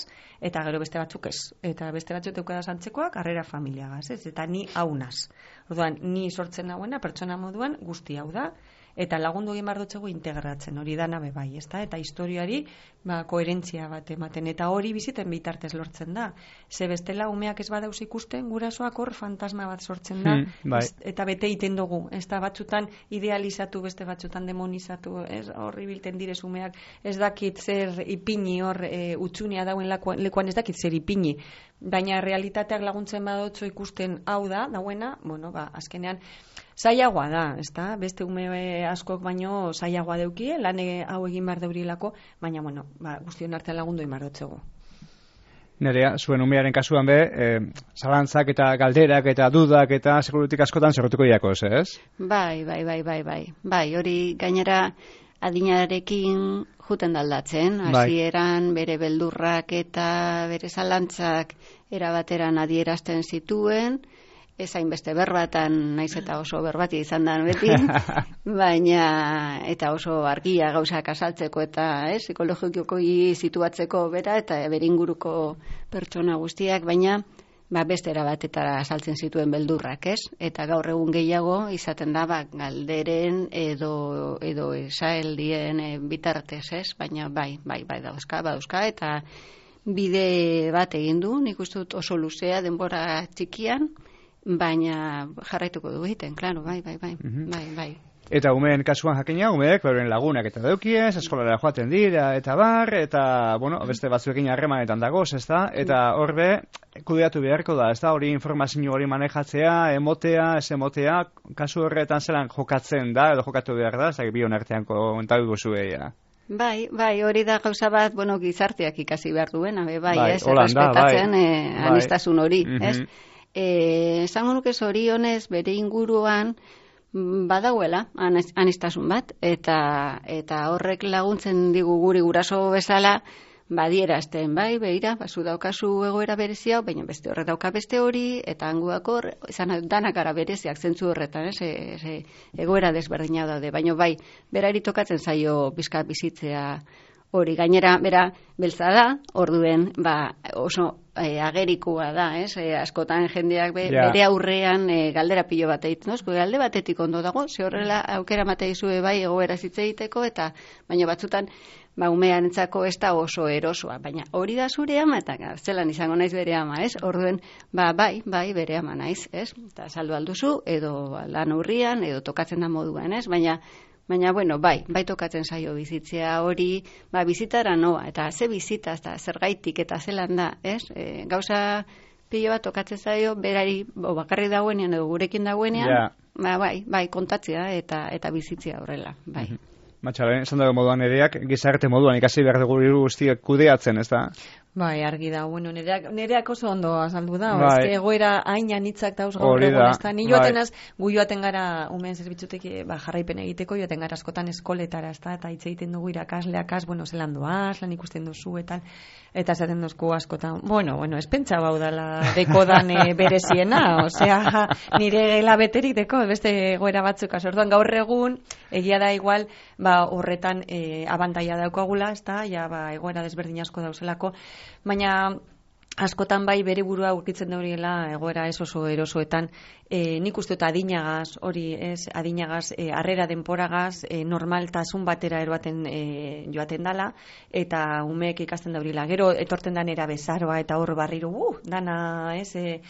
eta gero beste batzuk ez. Eta beste batzuk eukadaz antzekoak, arrera familiagaz, ez? Eta ni haunaz. Orduan, ni sortzen nagoena, pertsona moduan, guzti hau da, eta lagundu egin behar dutxegu integratzen, hori da nabe bai, ezta? Eta historiari, ba, koherentzia bat ematen, eta hori biziten bitartez lortzen da. Ze bestela umeak ez badauz ikusten, gurasoak hor fantasma bat sortzen da, hmm, bai. ez, eta bete iten dugu, ez da batzutan idealizatu, beste batzutan demonizatu, ez horri bilten direz umeak, ez dakit zer ipini hor e, utxunia dauen lekuan, lekuan ez dakit zer ipini, baina realitateak laguntzen badotzo ikusten hau da, dauena, bueno, ba, azkenean, zailagoa da, ezta? Beste ume askok baino zailagoa deukie, lan hau egin behar deurilako, baina, bueno, ba, guztion artean lagundu egin behar dutzego. Nerea, zuen umearen kasuan be, e, zalantzak eta galderak eta dudak eta segurutik askotan zerrotuko diakoz, ez? Bai, bai, bai, bai, bai. Bai, hori gainera adinarekin juten daldatzen, hasieran bere beldurrak eta bere zalantzak erabateran adierazten zituen, ez hainbeste berbatan, naiz eta oso berbati izan da beti, baina eta oso argia gauzak azaltzeko eta eh, psikologiko situatzeko bera eta beringuruko pertsona guztiak, baina ba, beste erabatetara azaltzen zituen beldurrak, ez? Eta gaur egun gehiago izaten da ba, galderen edo, edo esaeldien e, bitartez, ez? Baina bai, bai, bai dauzka, dauzka, eta bide bat egin du, nik uste dut oso luzea denbora txikian, baina jarraituko du egiten, klaro, bai, bai, bai, mm-hmm. bai, bai. Eta umeen kasuan jakina, umeek, beren lagunak eta daukiez, eskolara joaten dira, eta bar, eta, bueno, beste batzuekin harremanetan dagoz, ez da? Eta horbe, kudeatu beharko da, ez da? Hori informazio hori manejatzea, emotea, ez emotea, kasu horretan zelan jokatzen da, edo jokatu behar da, ez da, bion artean komentatu guzueia. Bai, bai, hori da gauza bat, bueno, gizarteak ikasi behar duena, bai, bai, ez, errespetatzen bai. eh, anistasun hori, mm-hmm. ez? Eh, esango nuke zorionez bere inguruan badauela anistasun bat, eta eta horrek laguntzen digu guri guraso bezala badierazten, bai, beira, bazu daukazu egoera berezia, baina beste horre dauka beste hori, eta hanguak hor, izan danak ara bereziak zentzu horretan, ez, ez, egoera desberdina daude, baina bai, berari tokatzen zaio bizka bizitzea hori, gainera, bera, beltza da, orduen, ba, oso e, agerikoa da, ez? E, askotan jendeak be, yeah. bere aurrean e, galdera pilo bat egiten, no? Galde batetik ondo dago, ze horrela aukera mate izue bai egoera zitze egiteko, eta baina batzutan, ba, umearentzako ez da oso erosoa, baina hori da zure ama, eta zelan izango naiz bere ama, ez? Orduen, ba, bai, bai, bere ama naiz, ez? Eta saldu alduzu, edo lan urrian, edo tokatzen da moduan, ez? Baina, Baina, bueno, bai, bai tokatzen zaio bizitzea hori, ba, bizitara noa, eta ze bizita, eta zergaitik, eta zelan da, ez? E, gauza pilo bat tokatzen zaio, berari, bo, bakarri dagoenean, edo gurekin dagoenean, yeah. ba, bai, bai, kontatzea, eta eta bizitzea horrela, bai. Mm-hmm. Matxalen, esan dago moduan ereak, gizarte moduan ikasi behar dugu guztiak kudeatzen, ez da? Bai, argi da, bueno, nereak, nereak oso ondo azaldu da, bai. Ez egoera hain anitzak dauz gaur egon, ez da, ni joaten az, gu joaten gara, umen zerbitzutek, ba, jarraipen egiteko, joaten gara askotan eskoletara, ez da, eta hitz egiten dugu irakasleak az, bueno, zelan doaz, lan ikusten duzu, eta, eta zaten duzku askotan, bueno, bueno, ez pentsa bau dala dekodan e, bereziena, osea, nire gela beterik deko, beste egoera batzuk, azorduan gaur egun, egia da igual, ba, horretan e, abantaia daukagula, ez da, ja, ba, egoera desberdin asko dauzelako, baina askotan bai bere burua aurkitzen da horiela egoera ez oso erosoetan, e, nik uste dut adinagaz, hori ez, adinagaz, e, arrera denporagaz, e, normaltasun batera eroaten e, joaten dala, eta umeek ikasten da horila. Gero etorten da nera bezaroa, eta hor barriro, uh, dana, ez, e,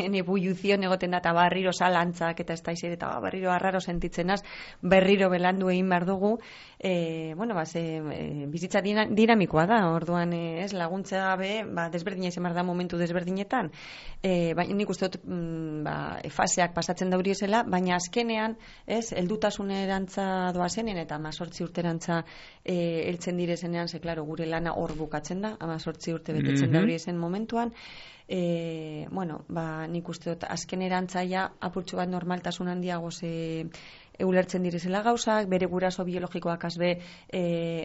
ene buiuzion egoten da, eta barriro salantzak, eta ez da izer, eta barriro arraro sentitzenaz, berriro belandu egin behar dugu, e, bueno, ba, ze, e, bizitza dinamikoa da, orduan, e, ez, laguntza gabe, ba, desberdina izan behar da momentu desberdinetan, e, baina nik uste dut mm, ba, faseak pasatzen dauri esela, baina azkenean, ez, heldutasunerantza doazenean eta amazortzi urterantza e, heltzen direzenean, ze, klaro, gure lana hor bukatzen da, amazortzi urte betetzen mm-hmm. dauri esen momentuan, e, bueno, ba, nik uste dut azken erantzaia apurtxo bat normaltasun handiago ze ulertzen direzela gauzak, bere guraso biologikoak azbe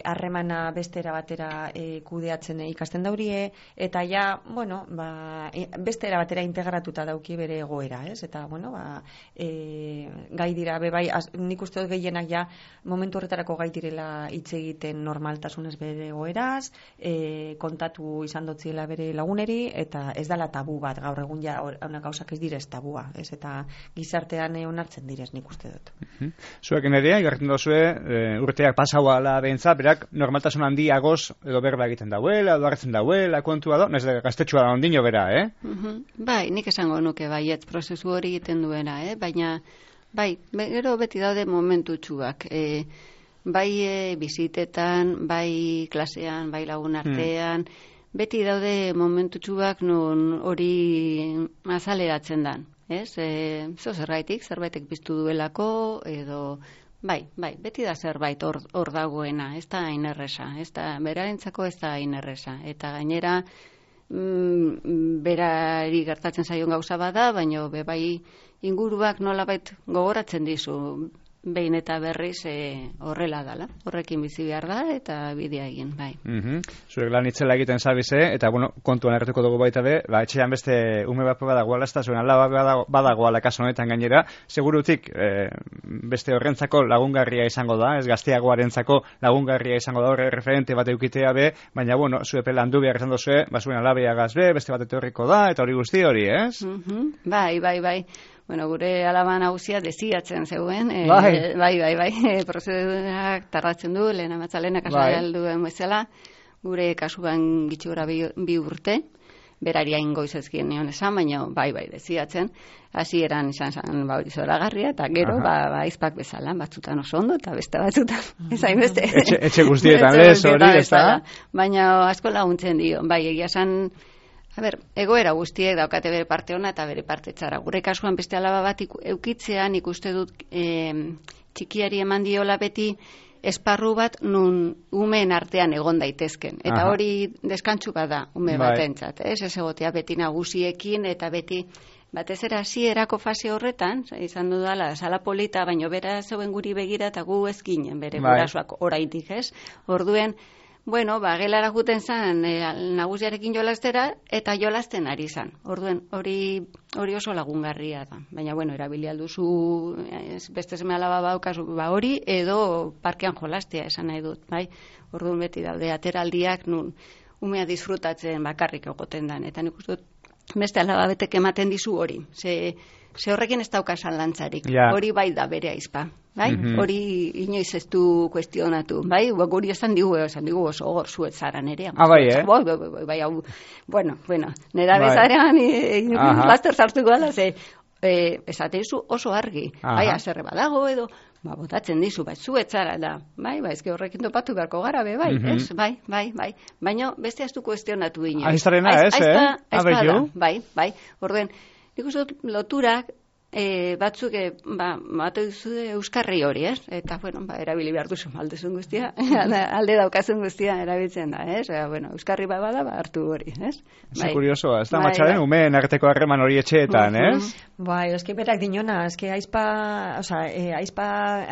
harremana e, bestera batera e, kudeatzen e, ikasten daurie, eta ja, bueno, ba, e, bestera batera integratuta dauki bere egoera, ez? Eta, bueno, ba, e, gai dira, bebai, az, nik uste dut gehienak ja, momentu horretarako gai direla hitz egiten normaltasunez bere egoeraz, e, kontatu izan dotziela bere laguneri, eta ez dala tabu bat, gaur egun ja, hona gauzak ez direz tabua, ez? Eta gizartean e, onartzen direz, nik uste dut. Zuek nerea, igartzen dozue, e, urteak pasauala behintza, berak normaltasun handiagoz edo berba egiten dauela, edo hartzen dauela, kontua da, nez gaztetxua da ondino bera, eh? Uh-huh. Bai, nik esango nuke baiet prozesu hori egiten duena, eh? Baina, bai, gero beti daude momentu txuak, e, bai e, bizitetan, bai klasean, bai lagun artean, hmm. beti daude momentu txuak non hori azaleratzen dan. Ez, e, zo zerbaitik, zerbaitek biztu duelako, edo, bai, bai, beti da zerbait hor, hor dagoena, ez da hain erresa, ez da, berarentzako ez da hain erresa, eta gainera, mm, berari gertatzen zaion gauza bada, baina bebai inguruak nolabait gogoratzen dizu, behin eta berriz e, horrela dala, horrekin bizi behar da, eta bidea egin, bai. Mm-hmm. Zuek lan itzela egiten zabize, eta, bueno, kontuan erretuko dugu baita be, ba, etxean beste ume bat badagoala, ez da zuen alaba badagoala kaso honetan gainera, segurutik e, beste horrentzako lagungarria izango da, ez gazteagoarentzako lagungarria izango da, horre referente bat eukitea be, baina, bueno, zuepe landu behar izan dozue, ba, zuen alabea gazbe, beste bat etorriko da, eta hori guzti hori, ez? Mm-hmm. Bai, bai, bai. Bueno, gure alaba nagusia desiatzen zeuen, e, bai, bai, bai, bai, e, prozedurak tardatzen du, lehen amatzalena kasai alduen bezala, gure kasuan gitxura bi, bi urte, berari hain goizezkien nion esan, baina bai, bai, desiatzen, hasi eran izan zan ba, zoragarria, eta gero, ba, ba, izpak bezala, batzutan oso ondo, eta beste batzutan, ez hain beste. Etxe, etxe guztietan, lez, hori, ez da? Baina asko laguntzen dio, bai, egia zan, a ber, egoera guztiek daukate bere parte ona eta bere parte txara. Gure kasuan beste alaba bat eukitzean ikuste dut e, txikiari eman diola beti esparru bat nun umeen artean egon daitezken. Eta Aha. hori deskantsu bada ume bai. batentzat. Ez ez egotea beti nagusiekin eta beti batez ere hasierako fase horretan, izan dudala, sala polita, baino bera zeuen guri begira eta gu ez ginen bere bai. gurasoak oraindik, ez? Orduen, bueno, ba, gelara juten zan e, nagusiarekin jolastera eta jolasten ari zan. Orduen, hori hori oso lagungarria da. Baina, bueno, erabili alduzu beste seme alaba baukazu ba hori, edo parkean jolastea esan nahi dut, bai? Orduen beti daude ateraldiak nun umea disfrutatzen bakarrik egoten dan. Eta nik uste dut, beste alaba betek ematen dizu hori. Ze, ze horrekin ez daukasan lantzarik. Ja. Hori bai da bere aizpa. Bai? Mm-hmm. Hori inoiz ez du kuestionatu, bai? Guri esan digu, esan digu oso hor zuet zara nerea. Ah, bai, eh? Bai, bai, bai, bai, hau, bueno, bueno, nera bai. bezarean laster sartuko dala, ze, eh, esateizu oso argi, Aha. bai, azerre badago edo, ba, botatzen dizu, bai, zuet zara da, bai, bai, ezke horrekin topatu beharko gara, be, bai, mm-hmm. ez, bai, bai, bai, baina beste ez du kuestionatu inoiz. Aiztarena, ez, eh? Aizpa da, bai, bai, orduen, nik uste dut loturak, E, batzuk, e, ba, batu euskarri hori, ez? Eta, bueno, ba, erabili behar duzu maldezun guztia, alde daukazun guztia erabiltzen da, ez? E, bueno, euskarri bat bada, ba, hartu hori, ez? Bai. Kuriosoa, ez da, bai, matxaren, bai. umeen arteko harreman hori etxeetan, uh-huh. ez? Bai, eski berak dinona, eski aizpa, oza, e, aizpa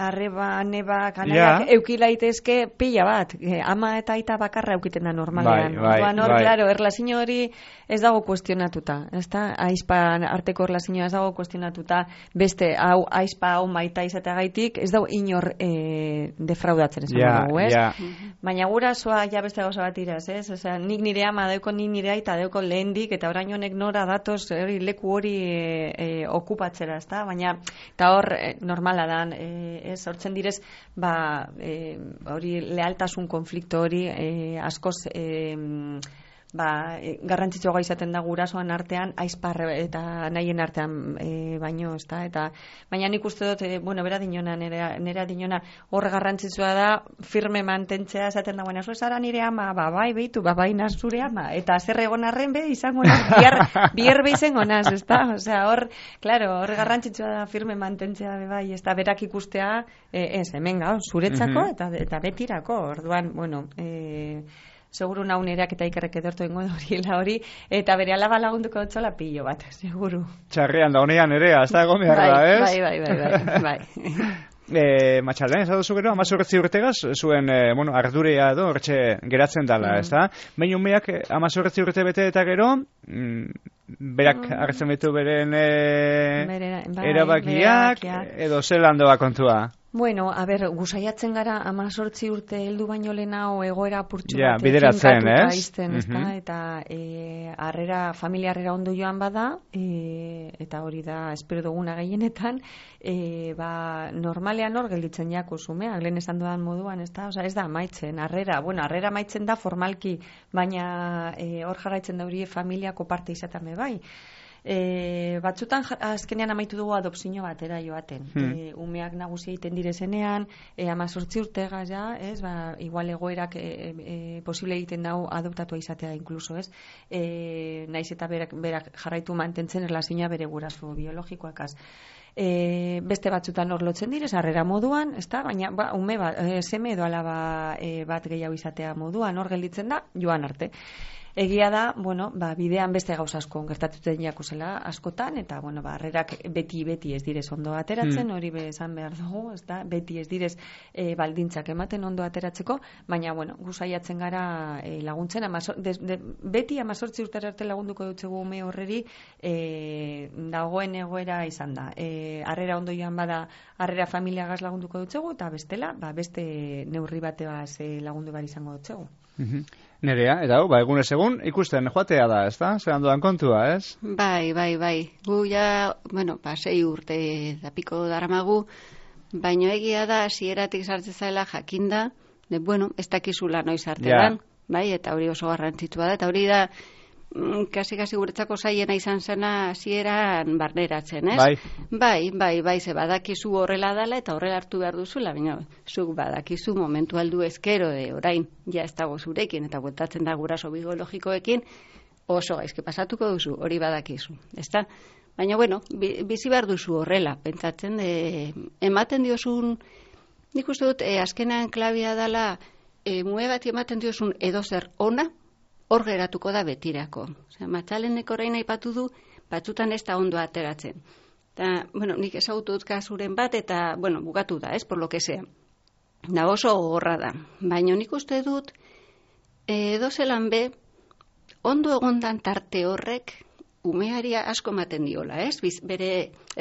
arreba, neba, kanaiak, ja. eukilaitezke pila bat, e, ama eta aita bakarra eukiten da normalean. Bai, bai, Duan, hor, bai. Claro, erlazio hori ez dago kuestionatuta, ez da? Aizpa arteko erlazioa ez dago kuestionatuta, beste hau aizpa hau maita izateagaitik ez dau inor e, defraudatzen esan yeah, dugu, ez? Yeah. Baina gurasoa ja beste gauza bat iraz, ez? Osea, nik nire ama dauko nik nire aita dauko lehendik eta orain honek nora datoz hori leku hori e, e, okupatzera, ezta? Baina eta hor e, normala dan, e, ez hortzen direz, ba e, hori lealtasun konflikto hori e, askoz e, ba, e, garrantzitsua izaten da gurasoan artean, aizpar eta nahien artean e, baino, ez da, eta baina nik uste dut, e, bueno, bera dinona, nera, nera dinona, hor garrantzitsua da, firme mantentzea esaten da, bueno, zara nire ama, ba, bai, behitu, ba, bai, zure ama, eta zer egon arren be, izango naz, biar, biar be izango naz, ez da, osea, hor, claro, hor garrantzitsua da firme mantentzea, be, bai, ez da, berak ikustea, e, ez, hemen gau, zuretzako, eta, eta betirako, orduan, bueno, e, seguru naunerak eta ikerrek edortu ingo horiela hori, eta bere alaba lagunduko dutzola pillo bat, seguru. Txarrean da honean ere, hasta egon behar da, ez? Bai, bai, bai, bai, bai. E, Matxalden, ez da duzu gero, amazorretzi urtegaz, zuen, e, bueno, ardurea edo, hortxe geratzen dala, mm. ez da? Baina umeak amazorretzi urte bete eta gero, mm, berak mm. hartzen betu beren e, Bere, bai, erabakiak, edo zelan doa kontua? Bueno, a ber, gusaiatzen gara amazortzi urte heldu baino lehenao egoera apurtxu ja, bat bideratzen, ez? Izten, ez da? Eta e, arrera, familia arrera ondo joan bada, e, eta hori da espero duguna gehienetan, e, ba, normalean hor gelditzen jako zumeak, lehen esan dudan moduan, ez da? Osa, ez da amaitzen, arrera, bueno, arrera amaitzen da formalki, baina e, hor jarraitzen da hori familiako parte izatame bai. E, batzutan azkenean amaitu dugu adopzio batera joaten. Hmm. E, umeak nagusi egiten direzenean, e, amazortzi urtega ja, ez, ba, igual egoerak e, e, posible egiten dau adoptatua izatea inkluso, ez, e, naiz eta berak, berak jarraitu mantentzen erlazioa bere guraso biologikoakaz. E, beste batzutan hor lotzen direz, harrera moduan, ezta? Baina ba, ume bat, e, seme edo alaba e, bat gehiago izatea moduan, hor gelditzen da, joan arte. Egia da, bueno, ba, bidean beste gauza asko gertatuten jako zela askotan, eta, bueno, ba, harrerak beti-beti ez direz ondo ateratzen, hori hmm. be esan behar dugu, ez da, beti ez direz e, baldintzak ematen ondo ateratzeko, baina, bueno, gusaiatzen gara e, laguntzen, amazor, de, de, beti amazortzi urtera arte lagunduko dutzegu ume horreri e, dagoen egoera izan da. E, harrera ondo joan bada, harrera familiagaz lagunduko dutzegu, eta bestela, ba, beste neurri bateaz e, lagundu behar izango dutzegu. Mm-hmm. Nerea, eta hau, ba, egunez egun, ikusten joatea da, ez da? Zeran dudan kontua, ez? Bai, bai, bai. Gu ja, bueno, ba, sei urte da piko daramagu, baino egia da, hasieratik sartzen zaila jakinda, de, bueno, ez dakizula noiz arte dan, bai, eta hori oso garrantzitsua da, eta hori da, kasi-kasi guretzako zaiena izan zena hasieran barneratzen, ez? Bai. Bai, bai, bai, ze badakizu horrela dela eta horrela hartu behar duzula, baina zuk badakizu momentu aldu ezkero de orain, ja ez dago zurekin, eta bueltatzen da guraso biologikoekin, oso gaizke pasatuko duzu, hori badakizu, ezta? Baina, bueno, bizi behar duzu horrela, pentsatzen, de, ematen diozun, nik uste dut, e, azkenean klabia dela, e, mue bat ematen diozun edozer ona, hor geratuko da betirako. Osea, Matxalenek orain aipatu du, batzutan ez da ondo ateratzen. Ta, bueno, nik ezagutu dut kasuren bat, eta, bueno, bugatu da, ez, por lo que sea. Da oso gogorra da. Baina nik uste dut, edo zelan be, ondo egondan tarte horrek, umeari asko ematen diola, ez? Biz, bere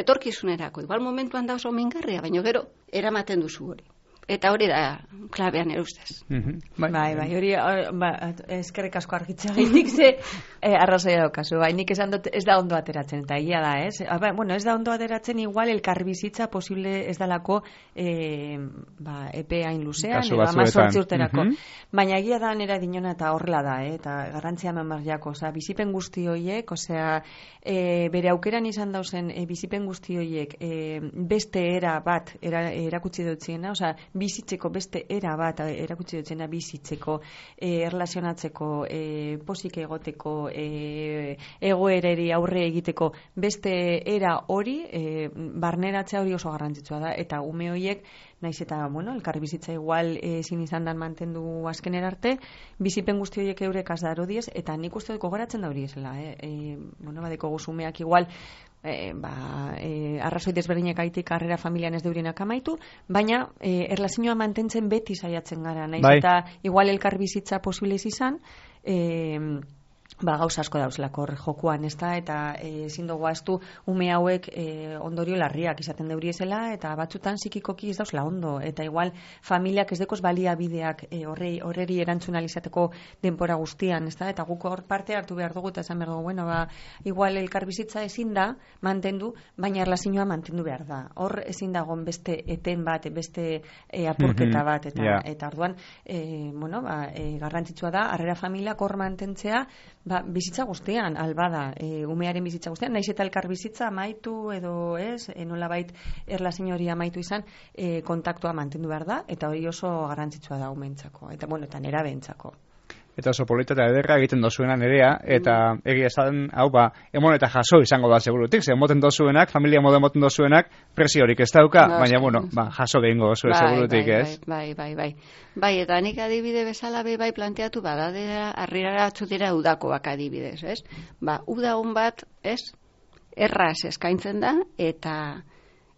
etorkizunerako. Igual momentuan da oso mingarria, baina gero, eramaten duzu hori. Eta hori da klabean erustez. Mm-hmm. Bai, bai, bai, hori ba, eskerrik asko argitzea gaitik ze eh, arrazoia daukazu. Bai, nik esan dut ez da ondo ateratzen, eta egia da, ez? Ba, bueno, ez da ondo ateratzen igual elkarbizitza posible ez dalako eh, ba, epe hain luzean, edo amazortzi urterako. Mm-hmm. Baina egia da nera dinona eta horrela da, eh? Eta garrantzia memarriako, osea, bizipen guzti horiek, osea, eh, bere aukeran izan dauzen eh, bizipen guzti horiek eh, beste era bat era, erakutsi dutziena, osea, bizitzeko beste era bat erakutsi dutzena bizitzeko, e, erlazionatzeko, e, posik egoteko, e, egoereri aurre egiteko beste era hori, e, barneratzea hori oso garrantzitsua da, eta ume horiek, naiz eta, bueno, elkar bizitza igual ezin izan dan mantendu azkener arte, bizipen guzti horiek eurek azdaro diez, eta nik uste dut gogoratzen da hori esela, eh? E, bueno, badeko guzumeak igual, E, ba, e, arrazoi desberdinak aitik karrera familian ez deurienak amaitu, baina e, erlazioa mantentzen beti saiatzen gara, naiz bai. Eta igual elkar bizitza posible izan, e, ba, gauza asko dauzlako jokuan, ez da, eta ezin dugu ahaztu ume hauek e, ondorio larriak izaten deuriezela, eta batzutan psikikoki ez dauzla ondo, eta igual familiak ez dekoz baliabideak e, horrei, horreri erantzun alizateko denpora guztian, ez da, eta guk hor parte hartu behar dugu, eta esan behar dugu, bueno, ba, igual elkarbizitza ezin da mantendu, baina erlazioa mantendu behar da. Hor ezin dagoen beste eten bat, beste e, apurketa bat, eta, yeah. eta orduan, e, bueno, ba, e, garrantzitsua da, harrera familiak hor mantentzea, ba, bizitza guztian, albada, e, umearen bizitza guztian, naiz eta elkar bizitza amaitu edo ez, e, nolabait erlazio hori amaitu izan, e, kontaktua mantendu behar da, eta hori oso garrantzitsua da umentzako, eta bueno, eta nerabentzako. Eta oso polita eta ederra egiten dozuena nerea, eta mm. egia esan, hau ba, emon eta jaso izango da segurutik, ze emoten dozuenak, familia modu emoten dozuenak, presiorik ez dauka, no, baina, bueno, ba, jaso behingo dozue bai, segurutik, bai, ez? Bai, bai, bai, bai, eta nik adibide bezala be bai planteatu bada, arriara atzu dira udakoak adibidez, ez? Ba, udagun bat, ez? Erraz eskaintzen da, eta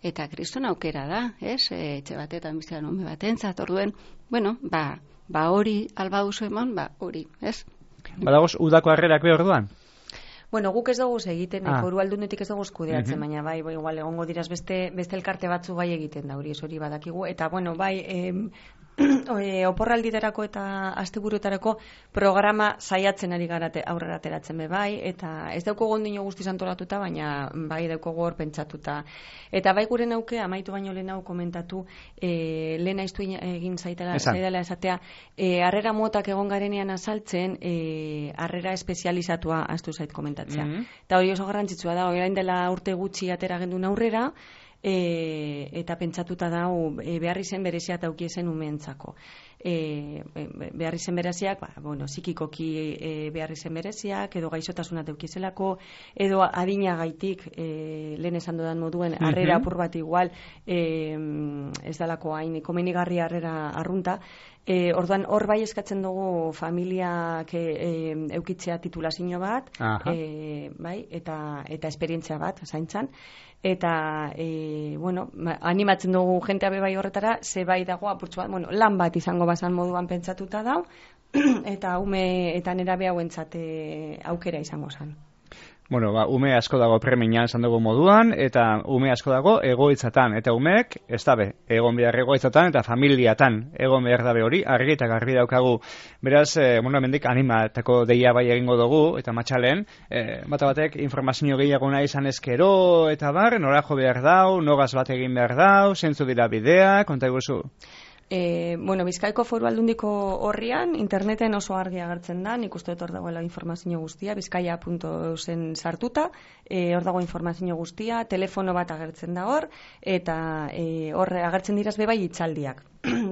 eta kriston aukera da, ez? E, etxe batetan bizian ume batentzat, orduen, bueno, ba, ba hori alba duzu eman, ba hori, ez? Badagoz, udako harrerak behar duan? Bueno, guk ez dugu egiten, ah. foru aldundetik ez dugu kudeatzen, uh-huh. baina bai, bai, igual egongo diraz beste, beste elkarte batzu bai egiten da, hori ez hori badakigu, eta bueno, bai, em, e, oporralditarako eta asteburuetarako programa saiatzen ari garate aurrera ateratzen be bai, eta ez dauko gondino guztiz antolatuta, baina bai dauko hor pentsatuta. Eta bai gure nauke, amaitu baino lehen hau komentatu, e, lehen aiztu egin zaitela, zaitela esatea, e, harrera motak egon garenean azaltzen, e, harrera espezializatua astu zait komentatzea. Mm-hmm. Eta hori oso garrantzitsua da, orain dela urte gutxi atera gendun aurrera, E, eta pentsatuta dau e, behar izen berezia tauki zen umeentzako. E, behar izen bereziak, ba, bueno, psikikoki e, behar izen bereziak, edo gaixotasuna taukizelako, edo adinagaitik, e, lehen esan dudan moduen, harrera apur bat igual, e, ez dalako hain komenigarri harrera arrunta, E, orduan hor bai eskatzen dugu familiak e, e, eukitzea titulazio bat, e, bai, eta, eta esperientzia bat zaintzan, eta e, bueno, animatzen dugu jentea be bai horretara, ze bai dago apurtzu bat, bueno, lan bat izango bazan moduan pentsatuta dau, eta ume eta nerabe hauentzat e, aukera izango zen. Bueno, ba, ume asko dago premian esan dugu moduan, eta ume asko dago egoitzatan, eta umeek, ez dabe, egon behar egoitzatan, eta familiatan egon behar dabe hori, argi eta garbi daukagu. Beraz, e, bueno, hemendik animatako deia bai egingo dugu, eta matxalen, e, bata batek informazio gehiago nahi izan ezkero, eta bar, nora jo behar dau, nogaz bat egin behar dau, zentzu dira bidea, konta iguzu? E, bueno, Bizkaiko Foru Aldundiko horrian, interneten oso argi agertzen da, nik uste dut hor dagoela informazio guztia, bizkaia puntu eusen sartuta, e, hor dago informazio guztia, telefono bat agertzen da hor, eta e, hor agertzen diraz bebai itzaldiak.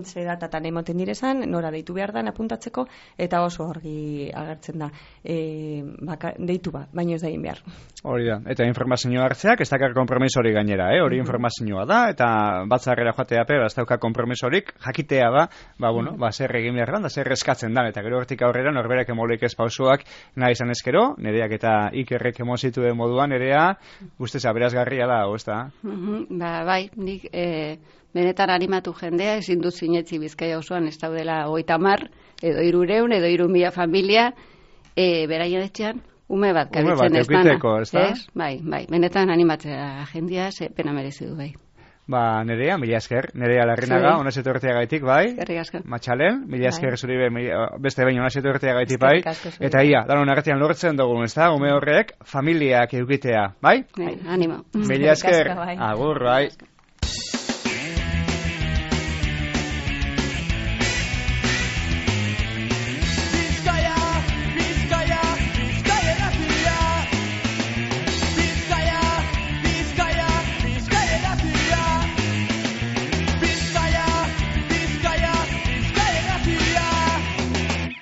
Ze datatan emoten direzan, nora deitu behar da apuntatzeko, eta oso argi agertzen da e, baka, deitu ba, baino ez da egin behar. Hori da, eta informazioa hartzeak ez dakar kompromisorik gainera, eh? Hori informazioa da, eta batzarrera joatea pe, ez dauka kompromisorik, jakitea da, ba, bueno, ba, zer egin behar da, zer eskatzen da, eta gero hortik aurrera norberak emolik ez pausuak nahi izan ezkero, nereak eta ikerrek emozituen moduan, nerea, usteza, berazgarria da, ez da? Mm-hmm, ba, bai, nik... E... benetan animatu jendea, ezin dut zinetzi Bizkaia osoan ez daudela hogeita hamar, edo hirureun, edo hiru mila familia, e, beraien etxean, ume bat kabitzen ez dana. Ez? Bai, bai, benetan animatzea jendea, ze pena merezi du bai. Ba, Nerea, mila esker, Nerea Larrinaga, honez etortea gaitik, bai? Matxalen, mila esker zuri be, beste behin honez etortea gaitik, bai? Eta ia, danon arretian lortzen dugu, ez da, ume horrek, familiak eukitea, bai? Bai, animo. Mila esker, agur, bai?